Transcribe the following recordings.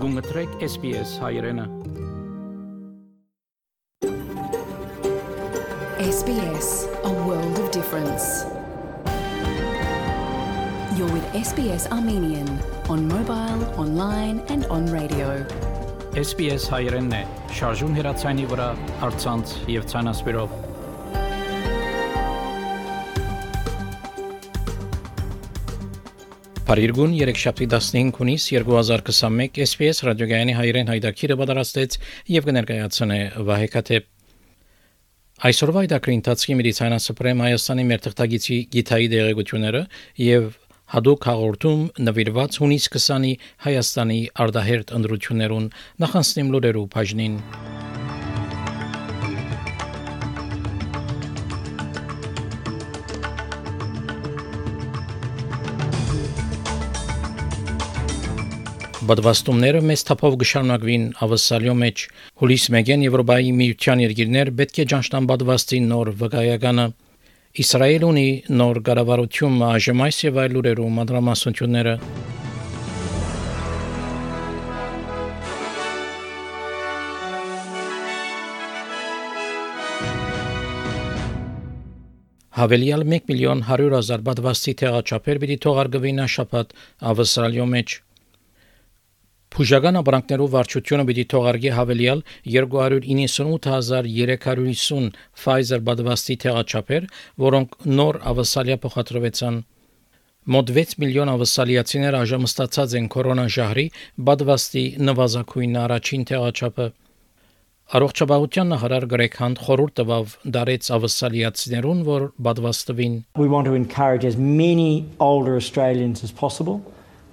Գունգտրեք SPS հայրենը SBS, a world of difference. You're with SBS Armenian on mobile, online and on radio. SPS հայրենն է, շարժուն հեռացայինի վրա, առցանց եւ ցանասպիրով։ Փարիգուն 3/15 հունիս 2021 SPS ռադիոգայանի հայրեն հայդակիրը պատրաստեց եւ կներկայացնե Վահե Քաթեփ։ Այսօրվա հայդակրի ընթացքի մեդիցինասպրեմ Հայաստանի մեր թղթագիտի գիտայի դերակցությունները եւ հadoop հաղորդում նվիրված հունիս 20-ի Հայաստանի արդահերտ ընդրություններուն նախանցնիմ լուրերու բաժնին։ Բադվաստումները մեծ թափով կշարունակվին ավսալյո մեջ հուլիս 1-ին Եվրոպայի միության երկիրներ պետք է ճանչնան բադվաստի նոր վկայականը Իսրայել ունի նոր կառավարություն այժմ այս եւ այլ լուրերու մանրամասնությունները Հավելյալ 1,100,000 բադվաստի տեղաչափեր պիտի թողարկվին շաբաթ ավսալյո մեջ Փուժական ապրանքներով վարչությունը պիտի թողարկի հավելյալ 298,350 Pfizer բադվաստի տեղաչափեր, որոնք նոր ավսալիա փոխադրվեցան։ Մոտ 6 միլիոն ավսալիացիներ այժմ ստացած են կորոնաժահրի բադվաստի նվազագույն առաջին տեղաչափը։ Առողջապահության նախարար Գրեգ Հանտ խորհուրդ տվավ դարեց ավսալիացիներուն, որ բադվաստվին։ We want to encourage as many older Australians as possible.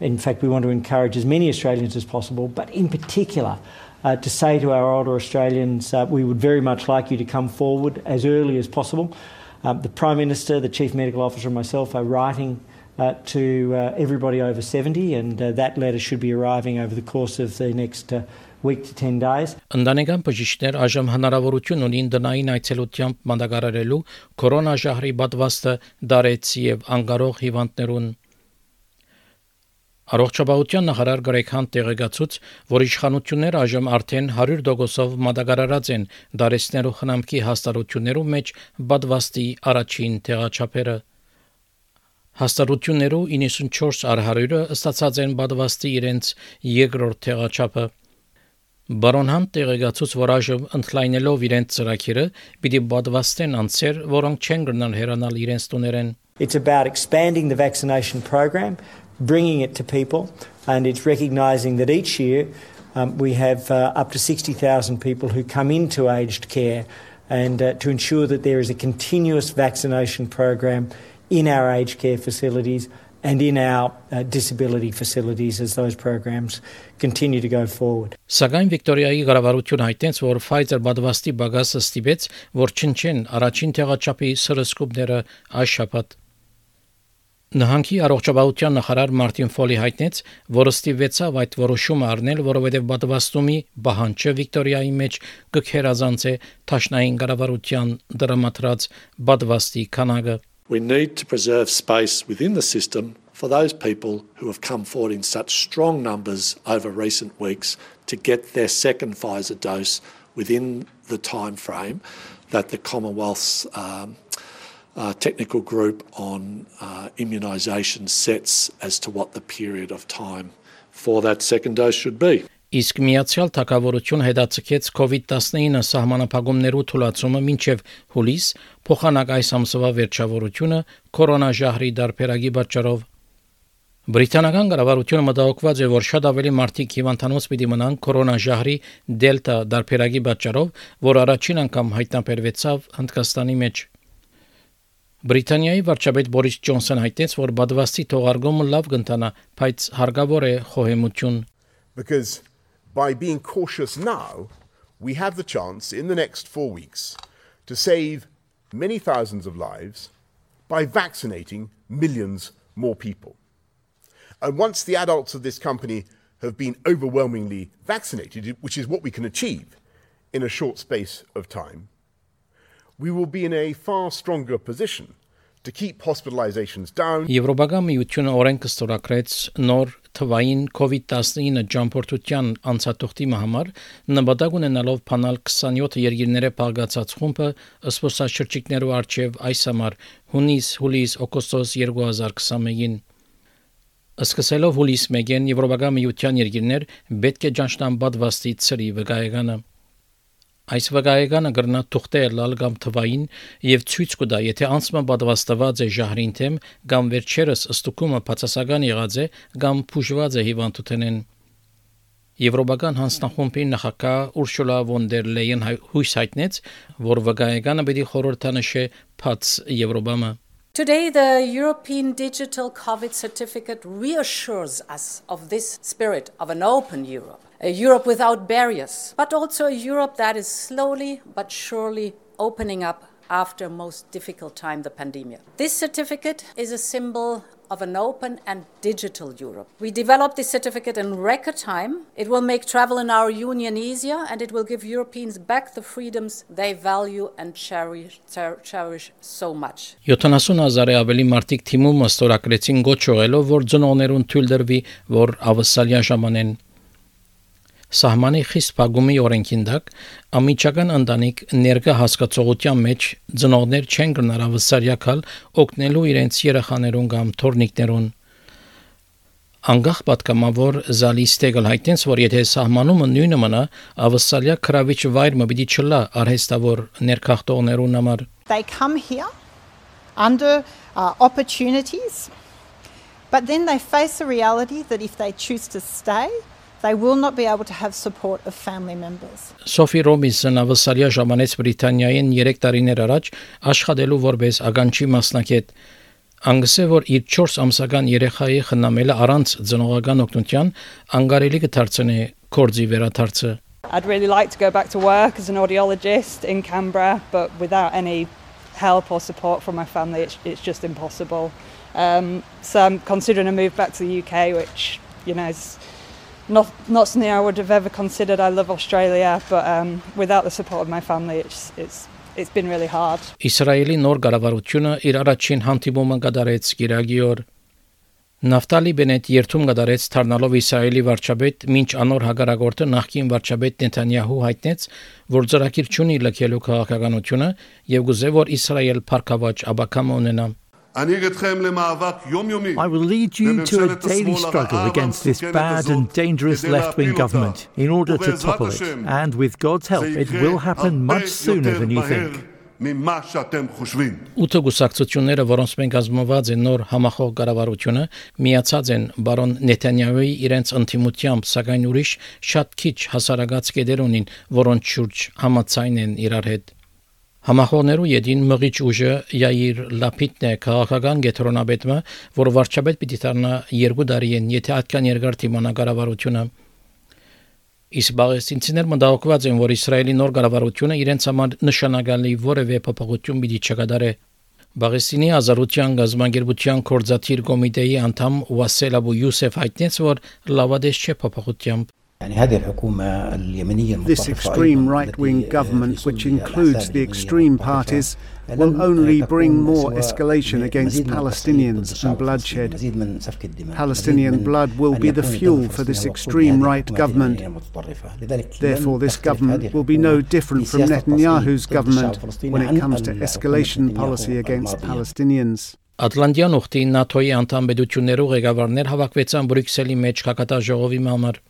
In fact, we want to encourage as many Australians as possible, but in particular, to say to our older Australians, we would very much like you to come forward as early as possible. The Prime Minister, the Chief Medical Officer and myself are writing to everybody over 70, and that letter should be arriving over the course of the next week to 10 days. Ընտանեկան բժիշկներ այժմ հնարավորություն ունին դնային այցելությամբ մատակարարելու կորոնաժահրի պատվաստը դարեց եւ անկարող հիվանդներուն Առողջապահության նախարար Գրեգ Հանտ տեղեկացուց, որ իշխանությունները այժմ արդեն 100%-ով մատակարարած են դարեցներու խնամքի հաստատություններու մեջ բադվաստի առաջին տեղաչափերը։ Հաստատություններու 94/100-ը ստացած են բադվաստի իրենց երկրորդ տեղաչափը։ Բարոն Հանտ տեղեկացուց, որ այժմ ընդլայնելով իրենց ծրագիրը, պիտի բադվաստեն անձեր, որոնք չեն գնալ հեռանալ իրենց տուներեն։ It's about expanding the vaccination program. Bringing it to people, and it's recognising that each year we have up to 60,000 people who come into aged care, and to ensure that there is a continuous vaccination program in our aged care facilities and in our disability facilities as those programs continue to go forward. Սակայն Վիկտորիայի կառավարությունը հայտնեց, որ Pfizer բադվաստի բագասը ստիպեց, որ չնչեն առաջին տեղաչափի սրսկուբները այս շաբաթ Նահանգի առողջապահության նախարար Մարտին Ֆոլի հայտնեց, որ ստիպվեցավ այդ որոշումը առնել, որովհետև բադվաստումի բանջը Վիկտորիայի մեջ կքերազանց է Թաշնային կառավարության դրամատրած բադվաստի քանակը We need to preserve space within the system for those people who have come forward in such strong numbers over recent weeks to get their second Pfizer dose within the time frame that the Commonwealth's technical group on immunisation sets as to what the period of time for that second dose should be. Իսկ Միացյալ Թագավորություն հետաձգեց COVID-19 սահմանափակումներու թույլատումը մինչև հուլիս, փոխանակ այս ամսվա վերջավորությունը կորոնաժահրի դարբերակի պատճառով։ Բրիտանական կառավարությունը մտահոգված է, որ շատ ավելի մարդիկ հիվանդանոց պիտի մնան կորոնաժահրի դելտա դարբերակի պատճառով, որ առաջին անգամ հայտնաբերվեցավ Հնդկաստանի մեջ։ Բրիտանիայի վարչապետ Բորիս Ջոնսոն հայտնեց, որ բադվաստի թողարկումը լավ կընթանա, բայց հարկավոր է խոհեմություն։ Because by being cautious now, we have the chance in the next 4 weeks to save many thousands of lives by vaccinating millions more people. And once the adults of this company have been overwhelmingly vaccinated, which is what we can achieve in a short space of time, we will be in a far stronger position to keep hospitalizations down. Եվրոպական միությունը օրենք ստորագրեց նոր թվային COVID-19 ճամփորդության անցատողտի համար նպատակ ունենալով փանալ 27 երկիրները փաղկացած խումբը զբոսաշրջիկներու արչև այս ամառ հունիս, հուլիս, օգոստոս 2021-ին Սկսելով հուլիս 1-ին Եվրոպական միության երկիրներ պետք է ճանչնան պատվաստի ծրի վկայականը Այս վկայականը կրնա թուղթել լալ կամ թվային եւ ցույց կտա, եթե անցումը պատվաստված է ժահրին թեմ կամ վերջերս ըստուկումը բացասական եղած է կամ փուժված է հիվանդութենեն Եվրոպական հանձնախումբի նախագահ Ուրշուլա վոն դեր Լեյեն հույս հայտնեց, որ վկայականը պետք է խորհրդանշե բաց Եվրոպամը Today, the European Digital COVID Certificate reassures us of this spirit of an open Europe, a Europe without barriers, but also a Europe that is slowly but surely opening up after a most difficult time, the pandemic. This certificate is a symbol of an open and digital Europe. We developed this certificate in record time. It will make travel in our union easier and it will give Europeans back the freedoms they value and cherish so much. 70,000 ավելի մարդիկ թիմում ստորագրեցին գոչողելով, որ ծնողներուն թույլ դրվի, որ ավսալյան ժամանեն Սահմանի խիստ փակումի օրենքին դակ ամիջական ընտանիք ներկա հասկացողության մեջ ծնողներ չեն գնար ավսարյակալ օգնելու իրենց երեխաներուն կամ թորնիկներուն Անգախ պատկամավոր զալիստեգլ հայտնեց որ եթե սահմանումը նույնը մնա ավսալյա քրավիչ վայրը պիտի չլա արհեստավոր ներքախտողներուն համար They come here under opportunities but then they face a reality that if they choose to stay They will not be able to have support of family members. Sophie Robinson ավսալյա ժամանեց Բրիտանիային 3 տարիներ առաջ աշխատելու որպես ագանչի մասնակետ Անգսե որ իր 4 ամսական երեխայի խնամելը առանց ծնողական օգնության անգարելի կդարձնի կորձի վերադարձը I'd really like to go back to work as an audiologist in Canberra but without any help or support from my family it's just impossible. So I'm considering a move back to the UK which you know is Not something I would have ever considered. I love Australia, but without the support of my family, it's been really hard. Իսրայելի նոր կառավարությունը իր առաջին հանդիպումը կատարեց Կիրակի օր։ Նավտալի Բենետ երթում կատարեց դառնալով Իսրայելի վարչապետ, մինչ անոր հագարագործը նախկին վարչապետ Նեթանյահու հայտնեց, որ ծրագիր չունի լքելու քաղաքականությունը եւ գուզե որ Իսրայել փառքավաճ աբակամ ունենա։ I will lead you to a daily struggle against this bad and dangerous left-wing government in order to topple it. And with God's help, it will happen much sooner than you think. Ութը գուսակցությունները, որոնց մենք ազգանված են նոր համախոհ կառավարությունը, միացած են բարոն Նեթանյահուի իրենց ընդդիմությամբ, սակայն ուրիշ շատ քիչ հասարակած կետեր ունին, որոնց շուրջ համաձայն են իրար հետ։ Համախոհներու յետին մղիչ ուժը Յայիր Լապիդն է քաղաքական գետրոնաբետը, որ վարչապետ պիտի դառնա 2 տարի են, եթե այդքան երկար դիմանա կառավարությունը։ Իսկ բաղեստինցիներ մտահոգված են, որ Իսրայելի նոր կառավարությունը իրենց համար նշանակալի որևէ փոփոխություն պիտի չկատարի։ Բաղեստինի ազատության գազམ་ագերբության կորզաթիր կոմիտեի անդամ Վասել Աբու Յուսեֆ հայտնեց, որ լավադես չէ փոփոխությամբ։ This extreme right-wing government, which includes the extreme parties, will only bring more escalation against Palestinians and bloodshed. Palestinian blood will be the fuel for this extreme right government. Therefore, this government will be no different from Netanyahu's government when it comes to escalation policy against Palestinians. Ատլանտյան ուխտի ՆԱԹՕ-ի անդամ պետություններու ղեկավարներ հավաքվեցան Բրյուսելի մեջ կակատաժողովի համար։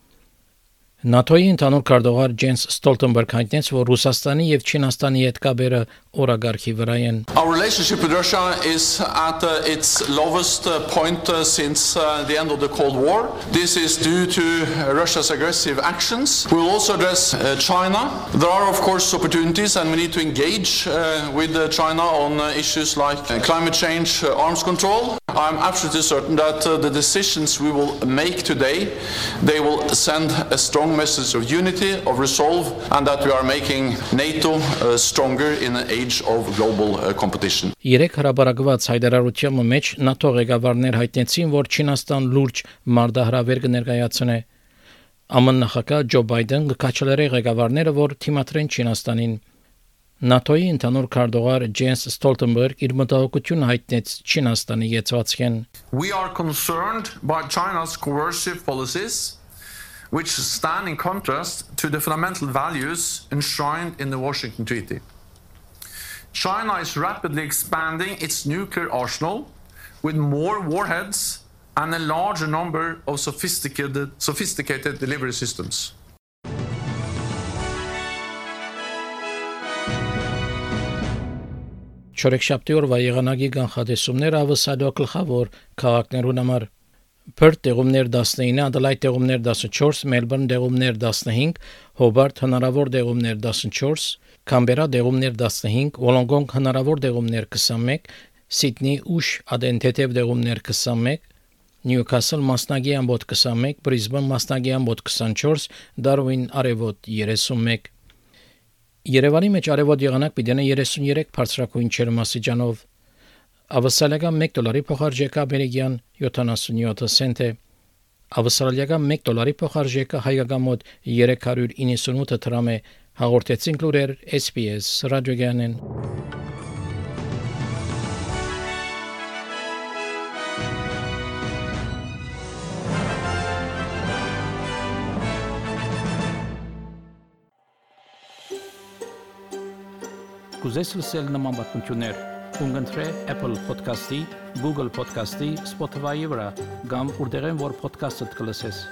ՆԱԹՕ-ի ընդհանուր քարտուղար Ջենս Ստոլտենբերգ հայտնեց, որ Ռուսաստանի եւ Չինաստանի հետ կապերը օրագարկի վրա են։ Our relationship with Russia is at its lowest point since the end of the Cold War. This is due to Russia's aggressive actions. We will also address China. There are of course opportunities and we need to engage with China on issues like climate change, arms control. I'm absolutely certain that the decisions we will make today, they will send a strong message of unity, of resolve, and that we are making NATO stronger in an age of global competition. Երեք հրաբարակված հայտարարության մեջ ՆԱԹՕ ղեկավարներ հայտնեցին, որ Չինաստան լուրջ մարտահրավեր կներկայացնի։ ԱՄՆ նախագահ Ջո Բայդեն կկաչելրի ղեկավարները, որ թիմադրեն Չինաստանին։ NATO-ի ընդհանուր քարտուղար Ջենս Ստոլտենբերգ իր մտահոգությունը հայտնեց Չինաստանի յեցվածքեն. We are concerned by China's coercive policies, which stand in contrast to the fundamental values enshrined in the Washington Treaty. China is rapidly expanding its nuclear arsenal with more warheads and a larger number of sophisticated delivery systems. Չորեքշաբթի օրվա եղանակի կանխատեսումները ավսալո գլխավոր քաղաքներուն համար Perth տեղումներ 19, Adelaide տեղումներ 14, Melbourne տեղումներ 15, Hobart հնարավոր տեղումներ 14, Canberra տեղումներ 15, Wollongong հնարավոր տեղումներ 21, Sydney ուշ ադենտետև տեղումներ 21, Newcastle մասնագի ամբոտ 21, Brisbane մասնագի ամբոտ 24, Darwin արևոտ 31 Երևանի մեջ արևոտ եղանակ պիտի 33 բարձրակույն ջերմաստիճանով Ավստրալիական $1 փոխարժեքը ամերիկյան 77 سنت է Ավստրալիական $1 փոխարժեքը հայկական մոտ 398 դրամ է հաղորդեցին լուրեր SPS ռադիոգյանեն Կուզես լսել նման բանություններ Ունգընտրե Apple Podcast-ի, Google Podcast-ի, Spotify-ի վրա, կամ որտեղեն որ podcast-ը կլսես։